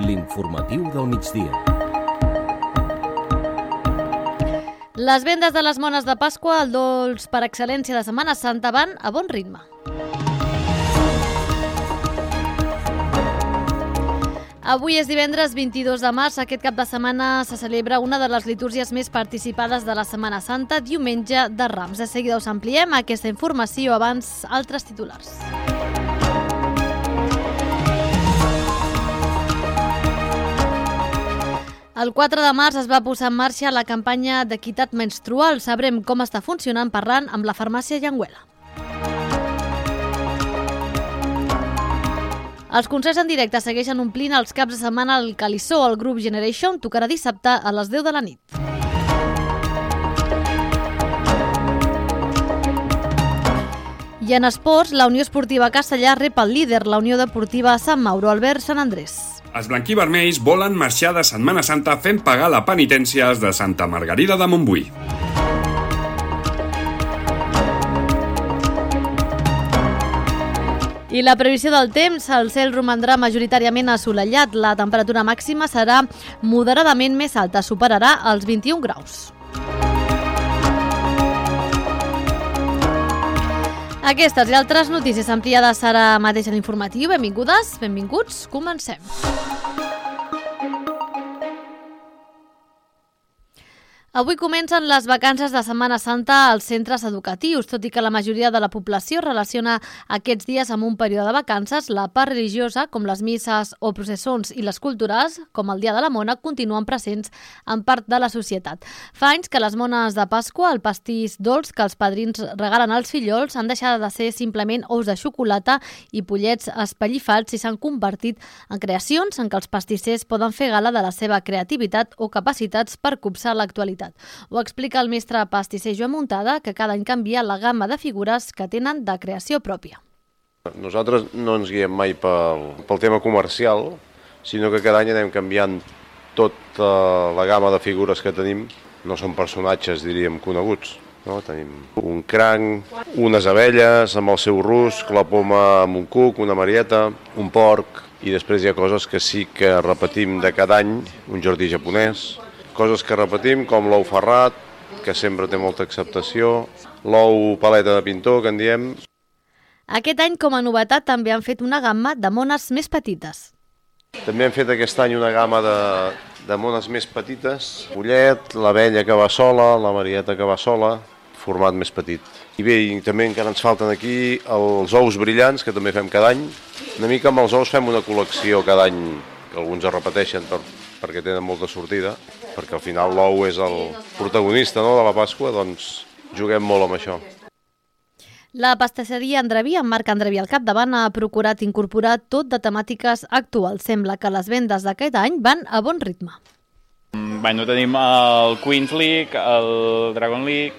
L'informatiu del migdia. Les vendes de les mones de Pasqua, el dolç per excel·lència de Setmana Santa, van a bon ritme. Avui és divendres 22 de març. Aquest cap de setmana se celebra una de les litúrgies més participades de la Setmana Santa, Diumenge de Rams. De seguida us ampliem aquesta informació, abans altres titulars. El 4 de març es va posar en marxa la campanya d'equitat menstrual. Sabrem com està funcionant parlant amb la farmàcia Llenguela. Els concerts en directe segueixen omplint els caps de setmana al Calissó. El grup Generation tocarà dissabte a les 10 de la nit. I en esports, la Unió Esportiva Castellar rep el líder, la Unió Deportiva Sant Mauro, Albert Sant Andrés. Els blanquivermells volen marxar de Setmana Santa fent pagar la penitència als de Santa Margarida de Montbui. I la previsió del temps, el cel romandrà majoritàriament assolellat. La temperatura màxima serà moderadament més alta, superarà els 21 graus. Aquestes i altres notícies ampliades ara mateix a l'informatiu. Benvingudes, benvinguts, comencem. Avui comencen les vacances de Setmana Santa als centres educatius. Tot i que la majoria de la població relaciona aquests dies amb un període de vacances, la part religiosa, com les misses o processons, i les culturals, com el Dia de la Mona, continuen presents en part de la societat. Fa anys que les mones de Pasqua, el pastís dolç que els padrins regalen als fillols, han deixat de ser simplement ous de xocolata i pollets espellifats i s'han convertit en creacions en què els pastissers poden fer gala de la seva creativitat o capacitats per copsar l'actualitat. Ho explica el mestre pastisser Joan Muntada, que cada any canvia la gamma de figures que tenen de creació pròpia. Nosaltres no ens guiem mai pel tema comercial, sinó que cada any anem canviant tota la gamma de figures que tenim. No són personatges, diríem, coneguts. No? Tenim un cranc, unes abelles amb el seu rusc, la poma amb un cuc, una marieta, un porc, i després hi ha coses que sí que repetim de cada any, un jardí japonès, coses que repetim, com l'ou ferrat, que sempre té molta acceptació, l'ou paleta de pintor, que en diem. Aquest any, com a novetat, també han fet una gamma de mones més petites. També hem fet aquest any una gamma de mones més petites, pollet, l'abella que va sola, la marieta que va sola, format més petit. I bé, i també encara ens falten aquí els ous brillants, que també fem cada any. Una mica amb els ous fem una col·lecció cada any, que alguns es repeteixen perquè tenen molta sortida, perquè al final l'ou és el protagonista, no, de la Pasqua, doncs juguem molt amb això. La pastisseria Andreví, amb Marc Andreví al capdavant, ha procurat incorporar tot de temàtiques actuals. Sembla que les vendes d'aquest any van a bon ritme. Tenim el Queen's League, el Dragon League,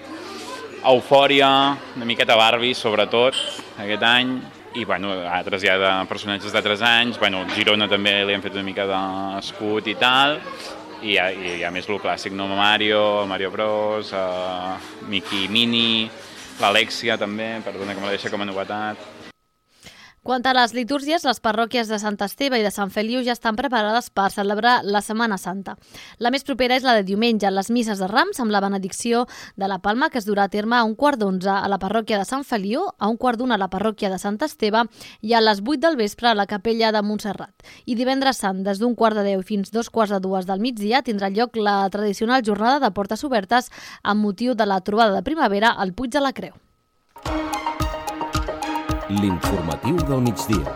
Eufòria, una miqueta Barbie, sobretot, aquest any, i altres ja de personatges d'altres anys. Girona també li han fet una mica d'escut i tal, i hi ha més el clàssic, no? Mario Bros, Mickey Mini, l'Alexia també, perdona que me la deixa com a novetat. Quant a les litúrgies, les parròquies de Sant Esteve i de Sant Feliu ja estan preparades per celebrar la Setmana Santa. La més propera és la de diumenge, les misses de Rams amb la benedicció de la Palma, que es durà a terme a 11:15 a la parròquia de Sant Feliu, a 11:15 a la parròquia de Sant Esteve i a les 8 del vespre a la capella de Montserrat. I divendres sant, des d'11:45 fins 2:45 del migdia, tindrà lloc la tradicional jornada de portes obertes amb motiu de la trobada de primavera al Puig de la Creu. L'informatiu del migdia.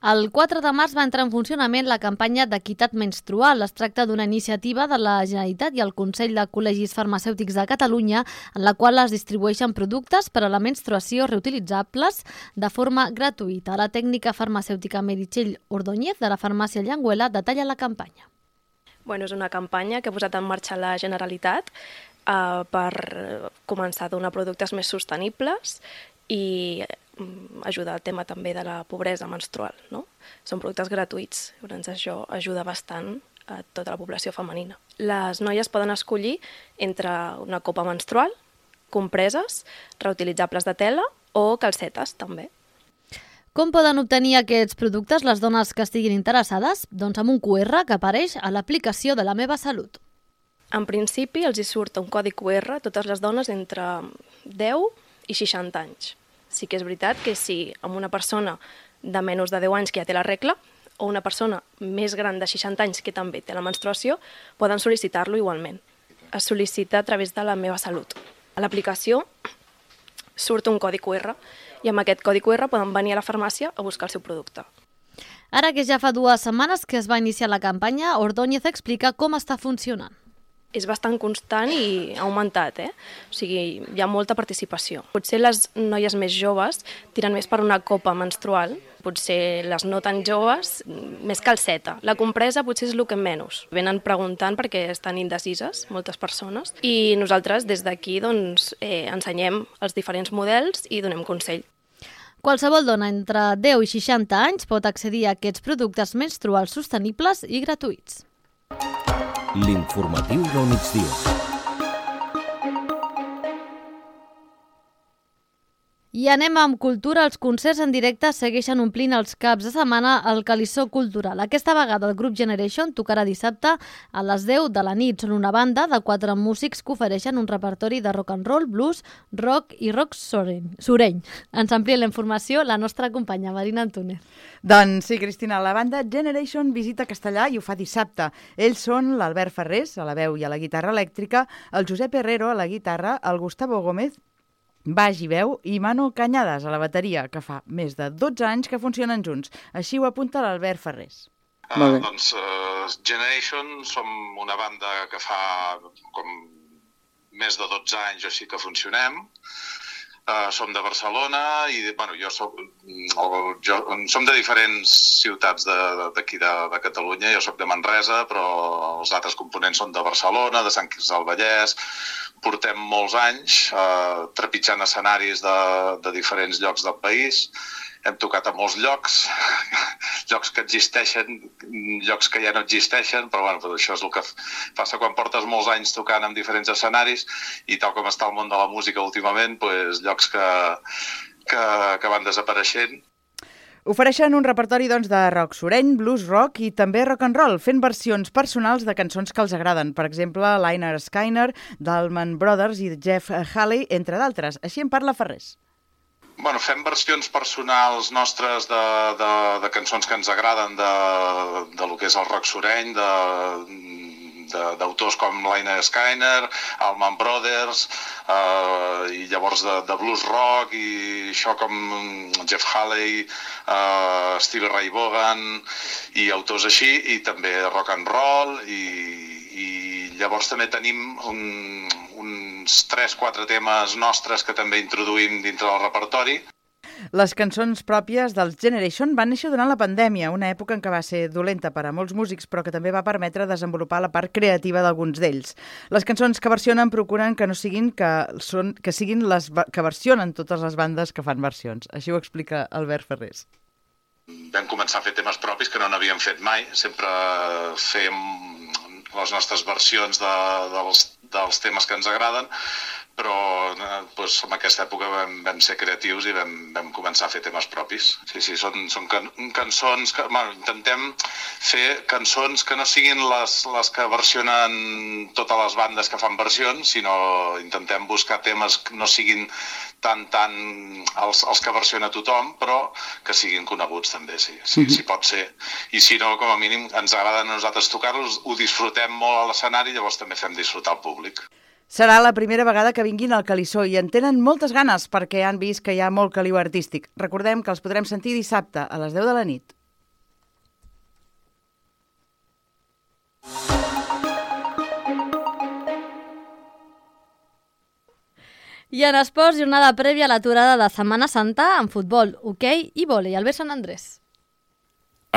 El 4 de març va entrar en funcionament la campanya d'equitat menstrual. Es tracta d'una iniciativa de la Generalitat i el Consell de Col·legis Farmacèutics de Catalunya, en la qual es distribueixen productes per a la menstruació reutilitzables de forma gratuïta. La tècnica farmacèutica Meritxell Ordóñez, de la farmàcia Llenguela, detalla la campanya. És una campanya que ha posat en marxa la Generalitat per començar a donar productes més sostenibles i ajudar al tema també de la pobresa menstrual, no? Són productes gratuïts, llavors això ajuda bastant a tota la població femenina. Les noies poden escollir entre una copa menstrual, compreses reutilitzables de tela o calcetes, també. Com poden obtenir aquests productes les dones que estiguin interessades? Doncs amb un QR que apareix a l'aplicació de La Meva Salut. En principi, els hi surt un codi QR a totes les dones entre 10 i 60 anys. Sí que és veritat que si amb una persona de menys de 10 anys que ja té la regla o una persona més gran de 60 anys que també té la menstruació, poden sol·licitar-lo igualment. Es sol·licita a través de La Meva Salut. A l'aplicació surt un codi QR i amb aquest codi QR poden venir a la farmàcia a buscar el seu producte. Ara que ja fa 2 setmanes que es va iniciar la campanya, Ordóñez explica com està funcionant. És bastant constant i ha augmentat, O sigui, hi ha molta participació. Potser les noies més joves tiren més per una copa menstrual, potser les no tan joves, més calceta. La compresa potser és el que menys. Venen preguntant perquè estan indecises, moltes persones, i nosaltres des d'aquí ensenyem els diferents models i donem consell. Qualsevol dona entre 10 i 60 anys pot accedir a aquests productes menstruals sostenibles i gratuïts. L'informatiu del migdia. I anem amb cultura. Els concerts en directe segueixen omplint els caps de setmana al Calissó Cultural. Aquesta vegada el grup Generation tocarà dissabte a les 10 de la nit. Són una banda de 4 músics que ofereixen un repertori de rock and roll, blues, rock i rock sureny. Ens amplia la informació la nostra companya Marina Antúnez. Doncs sí, Cristina, la banda Generation visita Castellà i ho fa dissabte. Ells són l'Albert Ferrés, a la veu i a la guitarra elèctrica, el Josep Herrero a la guitarra, el Gustavo Gómez, baix i veu, i Manu Cañadas a la bateria, que fa més de 12 anys que funcionen junts. Així ho apunta l'Albert Ferrés. Generation som una banda que fa com més de 12 anys o així que funcionem. Som de Barcelona i som de diferents ciutats d'aquí de Catalunya. Jo soc de Manresa, però els altres components són de Barcelona, de Sant Quirze del Vallès. Portem molts anys trepitjant escenaris de diferents llocs del país. Hem tocat a molts llocs, llocs que existeixen, llocs que ja no existeixen, però això és el que passa quan portes molts anys tocant en diferents escenaris i tal com està el món de la música últimament, llocs que van desapareixent. Ofereixen un repertori de rock sureny, blues rock i també rock and roll, fent versions personals de cançons que els agraden. Per exemple, Lynyrd Skynyrd, d'Allman Brothers i Jeff Haley, entre d'altres. Així en parla Ferrés. Fem versions personals nostres de cançons que ens agraden de lo que és el rock sureny, d'autors com Lynyrd Skynyrd, Allman Brothers, i llavors de blues rock i això com Jeff Haley, Stevie Ray Vaughan i autors així, i també rock and roll, i llavors també tenim uns 3-4 temes nostres que també introduïm dintre del repertori. Les cançons pròpies dels Generation van néixer durant la pandèmia, una època en què va ser dolenta per a molts músics, però que també va permetre desenvolupar la part creativa d'alguns d'ells. Les cançons que versionen procuren que siguin les que versionen totes les bandes que fan versions. Així ho explica Albert Ferrés. Vam començar a fer temes propis que no n'havíem fet mai. Sempre fèiem les nostres versions dels temes que ens agraden, però en aquesta època vam ser creatius i vam començar a fer temes propis. Sí, són cançons que... Intentem fer cançons que no siguin les que versionen totes les bandes que fan versions, sinó intentem buscar temes que no siguin tant els que versiona tothom, però que siguin coneguts també, sí, si pot ser. I si no, com a mínim, ens agrada a nosaltres tocar-los, ho disfrutem molt a l'escenari, llavors també fem disfrutar el públic. Serà la primera vegada que vinguin al Calissó i en tenen moltes ganes perquè han vist que hi ha molt caliu artístic. Recordem que els podrem sentir dissabte a les 10 de la nit. I en esports, jornada prèvia a l'aturada de Setmana Santa en futbol, hoquei i vòlei. Albert Sant Andrés.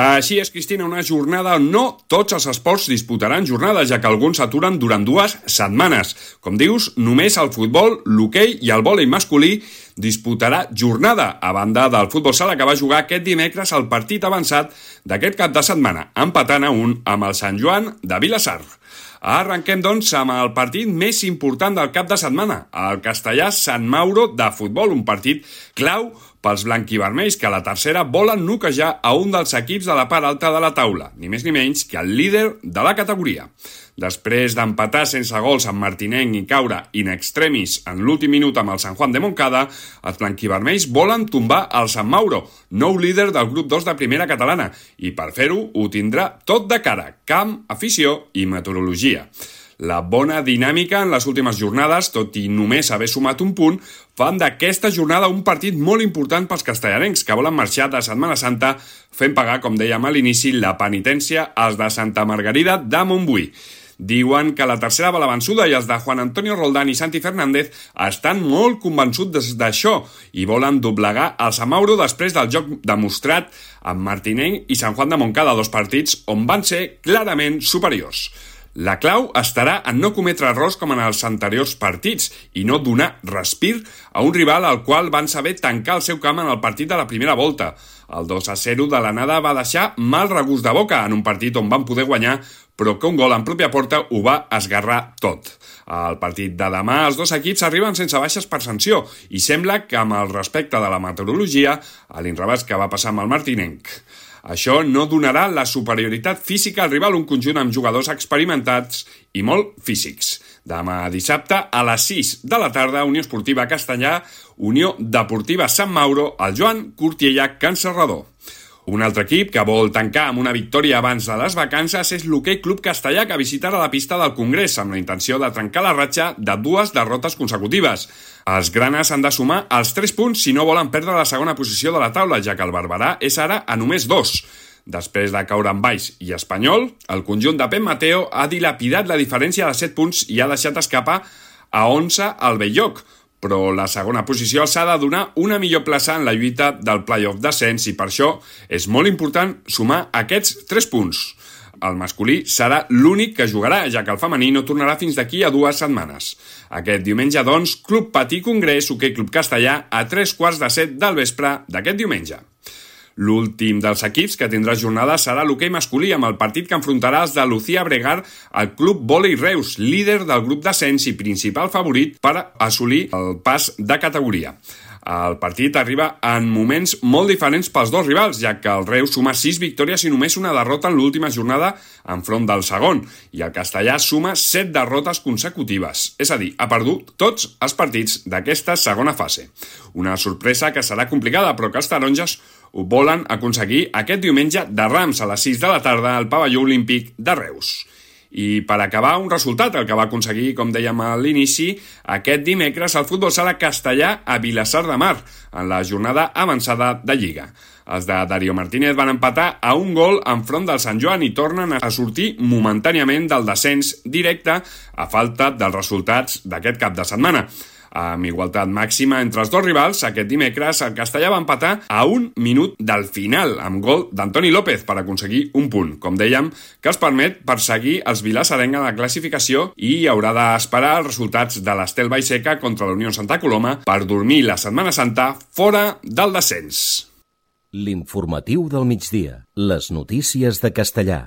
Així és, Cristina, una jornada on no tots els esports disputaran jornades, ja que alguns s'aturen durant 2 setmanes. Com dius, només el futbol, l'hoquei i el vòlei masculí disputarà jornada a banda del futbol sala que va jugar aquest dimecres el partit avançat d'aquest cap de setmana, empatant a 1 amb el Sant Joan de Vilassar. Arrenquem, doncs, amb el partit més important del cap de setmana, el Castellà Sant Mauro de futbol, un partit clau pels blanquivermells que a la tercera volen noquejar a un dels equips de la part alta de la taula, ni més ni menys que el líder de la categoria. Després d'empatar sense gols amb Martinenc i caure in extremis en l'últim minut amb el Sant Juan de Montcada, els blanquivermells volen tombar el Sant Mauro, nou líder del grup 2 de primera catalana, i per fer-ho ho tindrà tot de cara, camp, afició i meteorologia. La bona dinàmica en les últimes jornades, tot i només haver sumat un punt, fan d'aquesta jornada un partit molt important pels castellarencs, que volen marxar de Setmana Santa fent pagar, com dèiem a l'inici, la penitència als de Santa Margarida de Montbui. Diuen que la tercera va la vençuda i els de Juan Antonio Roldán i Santi Fernández estan molt convençuts d'això i volen doblegar el Sant Mauro després del joc demostrat amb Martinenc i Sant Juan de Montcada, dos partits on van ser clarament superiors. La clau estarà en no cometre errors com en els anteriors partits i no donar respir a un rival al qual van saber tancar el seu camp en el partit de la primera volta. El 2-0 de l'anada va deixar mal regust de boca en un partit on van poder guanyar, però que un gol en pròpia porta ho va esgarrar tot. Al partit de demà, els dos equips arriben sense baixes per sanció i sembla que amb el respecte de la meteorologia, a l'inrevés que va passar amb el Martinenc. Això no donarà la superioritat física al rival, un conjunt amb jugadors experimentats i molt físics. Demà dissabte, a les 6 de la tarda, Unió Esportiva Castellà, Unió Deportiva Sant Mauro, el Joan Cortiella Can Serrador. Un altre equip que vol tancar amb una victòria abans de les vacances és l'Hoquei Club Castellà, que visitarà la pista del Congrés amb la intenció de trencar la ratxa de 2 derrotes consecutives. Els granes han de sumar els 3 punts si no volen perdre la segona posició de la taula, ja que el Barberà és ara a només 2. Després de caure amb Baix i Espanyol, el conjunt de Pep Mateo ha dilapidat la diferència de 7 punts i ha deixat escapar a 11 al Belloc, però la segona posició s'ha de donar una millor plaça en la lluita del play-off d'ascens i per això és molt important sumar aquests 3 punts. El masculí serà l'únic que jugarà, ja que el femení no tornarà fins d'aquí a 2 setmanes. Aquest diumenge, doncs, Club Patí Congrés, Hoquei Club Castellà, a 3:15 del vespre d'aquest diumenge. L'últim dels equips que tindrà jornada serà l'hoquei masculí, amb el partit que enfrontarà els de Lucía Bregar al Club Vòlei Reus, líder del grup d'ascens i principal favorit per assolir el pas de categoria. El partit arriba en moments molt diferents pels dos rivals, ja que el Reus suma 6 victòries i només una derrota en l'última jornada enfront del segon, i el Castellà suma 7 derrotes consecutives, és a dir, ha perdut tots els partits d'aquesta segona fase. Una sorpresa que serà complicada, però que els taronges ho volen aconseguir aquest diumenge de Rams a les 6 de la tarda al pavelló olímpic de Reus. I per acabar, un resultat, el que va aconseguir, com dèiem a l'inici, aquest dimecres el futbol sala Castellà a Vilassar de Mar, en la jornada avançada de Lliga. Els de Darío Martínez van empatar a 1 gol enfront del Sant Joan i tornen a sortir momentàniament del descens directe a falta dels resultats d'aquest cap de setmana. Amb igualtat màxima entre els dos rivals, aquest dimecres el Castellà va empatar a 1 minut del final, amb gol d'Antoni López per aconseguir un punt, com dèiem, que els permet perseguir els vilassarencs en la classificació i haurà d'esperar els resultats de l'Estel Vallseca contra la Unió Santa Coloma per dormir la Setmana Santa fora del descens. L'informatiu del migdia. Les notícies de Castellà.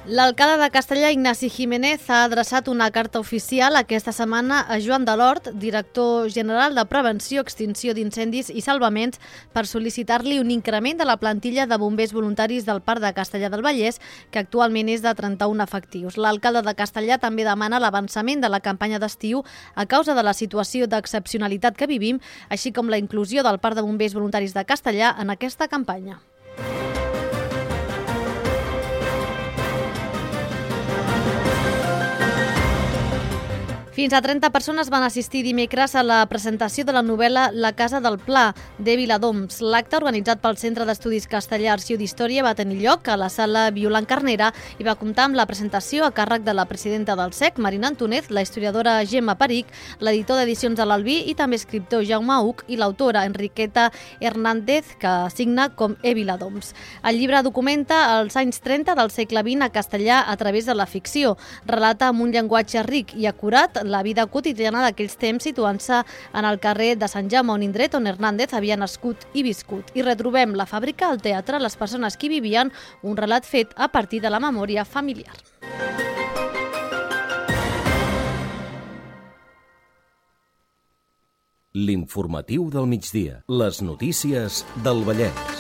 L'alcalde de Castellà, Ignasi Jiménez, ha adreçat una carta oficial aquesta setmana a Joan Delort, director general de Prevenció, Extinció d'Incendis i Salvaments, per sol·licitar-li un increment de la plantilla de bombers voluntaris del Parc de Castellà del Vallès, que actualment és de 31 efectius. L'alcalde de Castellà també demana l'avançament de la campanya d'estiu a causa de la situació d'excepcionalitat que vivim, així com la inclusió del Parc de Bombers Voluntaris de Castellà en aquesta campanya. Fins a 30 persones van assistir dimecres a la presentació de la novel·la La casa del Pla, de Viladoms. L'acte, organitzat pel Centre d'Estudis Castellà Arxiu d'Història, va tenir lloc a la sala Violant Carnera i va comptar amb la presentació a càrrec de la presidenta del SEC, Marina Antúnez, la historiadora Gemma Peric, l'editor d'edicions de l'Albí i també escriptor Jaume Uc i l'autora Enriqueta Hernández, que signa com Viladoms. El llibre documenta els anys 30 del segle XX a castellà a través de la ficció. Relata amb un llenguatge ric i acurat la vida quotidiana d'aquells temps, situant-se en el carrer de Sant Jaume, un indret on Hernández havia nascut i viscut. I retrobem la fàbrica, el teatre, les persones que hi vivien, un relat fet a partir de la memòria familiar. L'informatiu del migdia. Les notícies del Vallès.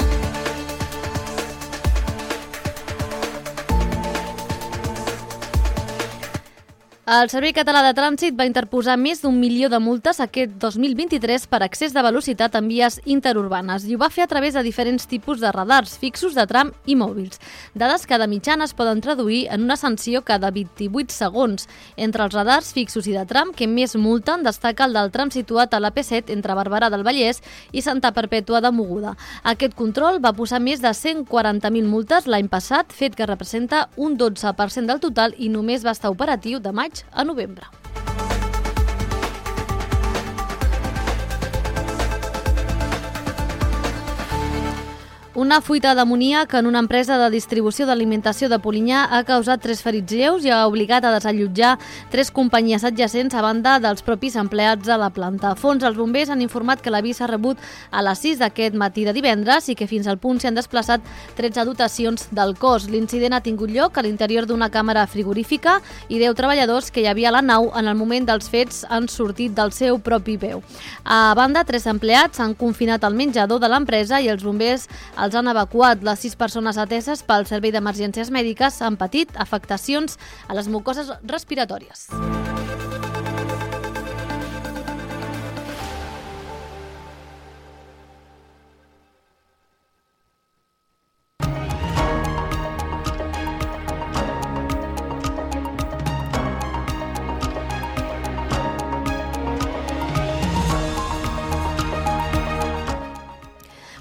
El Servei Català de Trànsit va interposar més d'1 milió de multes aquest 2023 per excés de velocitat en vies interurbanes i ho va fer a través de diferents tipus de radars fixos, de tram i mòbils. Dades que de mitjana es poden traduir en una sanció cada 28 segons. Entre els radars fixos i de tram que més multen destaca el del tram situat a l'AP7 entre Barberà del Vallès i Santa Perpètua de Mogoda. Aquest control va posar més de 140.000 multes l'any passat, fet que representa un 12% del total i només va estar operatiu de maig a novembre. Una fuita d'amoníac en una empresa de distribució d'alimentació de Polinyà ha causat 3 ferits lleus i ha obligat a desallotjar 3 companyies adjacents a banda dels propis empleats a la planta. A fons, els bombers han informat que l'avís s'ha rebut a les 6 d'aquest matí de divendres i que fins al punt s'hi han desplaçat 13 dotacions del cos. L'incident ha tingut lloc a l'interior d'una càmera frigorífica i 10 treballadors que hi havia a la nau en el moment dels fets han sortit del seu propi peu. A banda, 3 empleats han confinat al menjador de l'empresa i els bombers els han evacuat. Les 6 persones ateses pel Servei d'Emergències Mèdiques han patit afectacions a les mucoses respiratòries.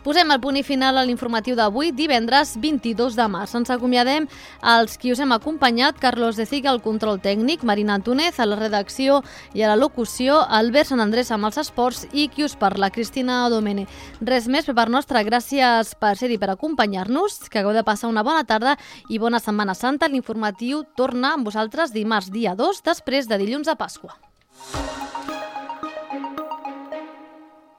Posem el punt i final a l'informatiu d'avui, divendres 22 de març. Ens acomiadem als qui us hem acompanyat, Carlos de Ciga al control tècnic, Marina Antúnez a la redacció i a la locució, Albert Sant Andrés amb els esports i qui us parla, Cristina Domene. Res més per part nostra, gràcies per ser-hi, per acompanyar-nos, que hagueu de passar una bona tarda i bona Setmana Santa. L'informatiu torna amb vosaltres dimarts, dia 2, després de dilluns de Pasqua.